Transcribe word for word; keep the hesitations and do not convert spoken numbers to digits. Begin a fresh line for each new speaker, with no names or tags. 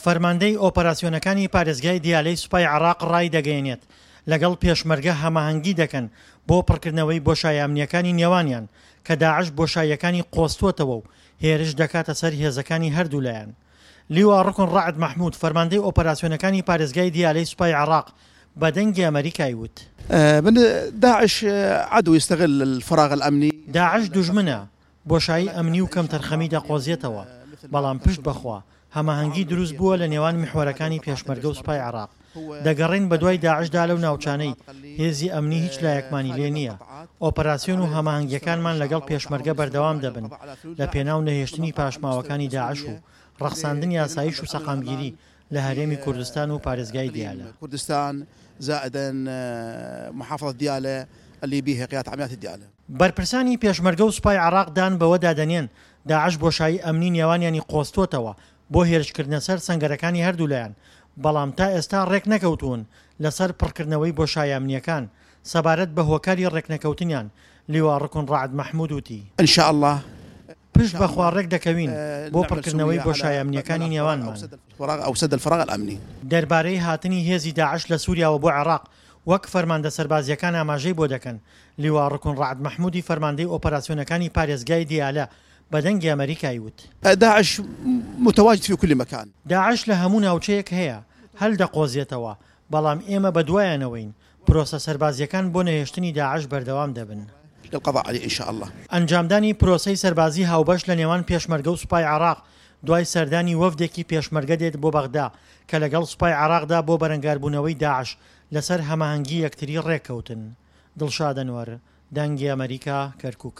فەرماندەی ئۆپەراسیۆنەکانی پارێزگای دیالەی سوپای عێراق ڕایدەگەیەنێت، لەگەڵ پێشمەرگە هەماهەنگی دەکەن بۆ پڕکردنەوەی بۆشایە ئەمنییەکانی نێوانیان کە داعش بۆشاییەکانی قۆستووەتەوە و هێرش دەکاتە سەر هێزەکانی هەردوولایان. لیوا ڕوکن ڕەعد مەحمود، فەرماندەی ئۆپەراسیۆنەکانی پارێزگای دیالەی سوپای عێراق بە دەنگی ئەمەریکای وت.
داعش عدو يستغل الفراغ الأمني.
داعش دوژمنە، بۆشایی ئەمنی و کەمتەرخەمی دەقۆزێتەوە، بەڵام پشت بەخوا هەماهەنگی دروست بووە لە نێوان میحوەرەکانی پێشمەرگە و سوپای عێراق، دەگەڕێین بەدوای داعشدا لەو ناوچانەی هێزی ئەمنی هیچ لایەکمانی لێ نییە، ئۆپەراسیۆن و هەماهەنگیەکانمان لەگەڵ پێشمەرگە بەردەوام دەبن لە پێناو نەهێشتنی پاشماوەکانی داعش و ڕەخساندنی ئاسایش و سەقامگیری لە هەرێمی کوردستان و پارێزگای دیالە.
کوردستان زائدا محافظة ديالى اللي بيها قيادة عمليات ديالى.
بەرپرسانی پێشمەرگە و سوپای عێراق دان بەوەدا دەنێن داعش بۆشایی ئەمنی نێوانیانی قۆستۆتەوە بۆ هێرشکردنە سەر سەنگەرەکانی هەردوولایان، بەڵام تا ئێستا ڕێک نەکەوتون لەسەر پڕکردنەوەی بۆشایی ئەمنیەکان. سەبارەت بە هۆکاری ڕێکنەکەوتنیان لیوا ڕکن ڕەعد مەحمود وتی:
إن شاء الله
پشت بەخوا ڕێک دەکەوین بۆ پڕکردنەوەی بۆشایی ئەمنیەکانی نێوانمان.
أو سد الفراغ الأمني.
دەربارەی هاتنی هێزی داعش لە سووریاوە بۆ عێراق وەک فەرماندە سەربازیەکان ئاماژەی بۆ دەکەن، لیوا ڕکن ڕەعد مەحمودی فەرماندەی ئۆپەراسیۆنەکانی پارێزگای دیالە بە دەنگی ئەمەریکای وت:
داعش متواجد في كل مكان.
داعش لە هەموو ناوچەیەک هەیە، هەل دەقۆزێتەوە، بەڵام ئێمە بەدوایانەوەین. پرۆسە سەربازیەکان بۆ نەهێشتنی داعش بەردەوام دەبن.
للقضاء عليه إن شاء الله.
ئەنجامدانی پرۆسەی سەربازی هاوبەش لە نێوان پێشمەرگە و سوپای عێراق دوای سەردانی وەفدێکی پێشمەرگە دێت بۆ بەغدا کە لەگەڵ سوپای عێراقدا بۆ بەرەنگاربوونەوەی داعش لەسەر هەماهەنگی یەکتری ڕێککەوتن. دڵشاد ئەنوەر، دەنگی ئەمەریکا، کەرکووک.